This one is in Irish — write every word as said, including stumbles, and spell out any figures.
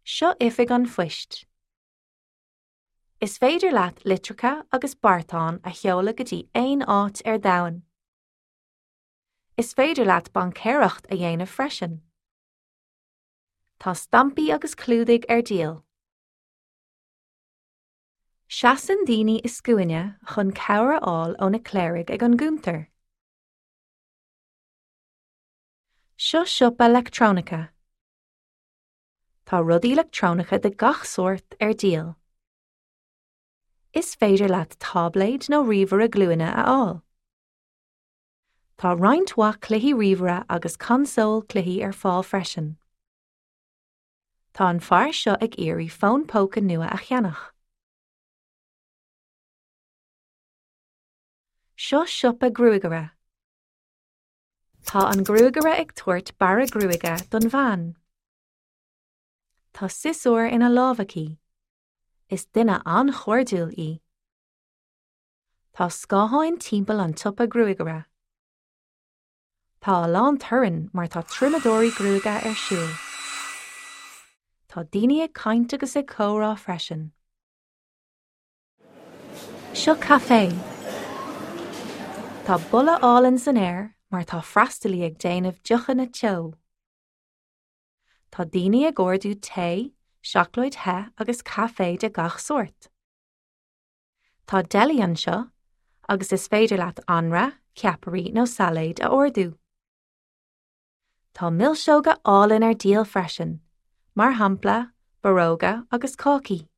Seo oifig an phoist. Is féidir leat litreacha agus beartáin a sheoladh go dtí aon áit ar domhan. Is féidir leat baincéireacht a dhéanamh freisin. Tá stampaí agus clúdaigh ar díol. Seasann daoine i scuaine chun cabhair a fháil ó na cléirigh ag an gcuntar. Seo siopa leictreonaice. Tá rudaí leictreonacha de gach sórt ar díol. Is féidir leat táibléad nó ríomhaire glúine a fháil. Tá roinnt mhaith cluichí ríomhaire agus consól cluichí ar fáil freisin. Tá an fear seo ag iarraidh fón póca nua a cheannach. Seo siopa gruagaire. Tá an gruagaire ag tabhairt bearradh gruaige don bhean. Tá siosúr ina lámh aici. Is duine an-chairdiúil í. Tá scátháin timpeall an tsiopa gruagaire. Tá a lán torainn mar tá triomadóirí gruaige ar siúl. Tá daoine ag caint agus ag comhrá freisin. Seo caifé. Tá boladh álainn san aer mar tá freastalaí ag déanamh deochanna teo. Tá daoine ag ordú tae, seacláid the agus caife de gach sórt. Tá deli anseo agus is féidir leat anraith, ceapairí nó sailéad a ordú. Tá milseoga álainn ar díol freisin, mar shampla, borróga agus cácaí.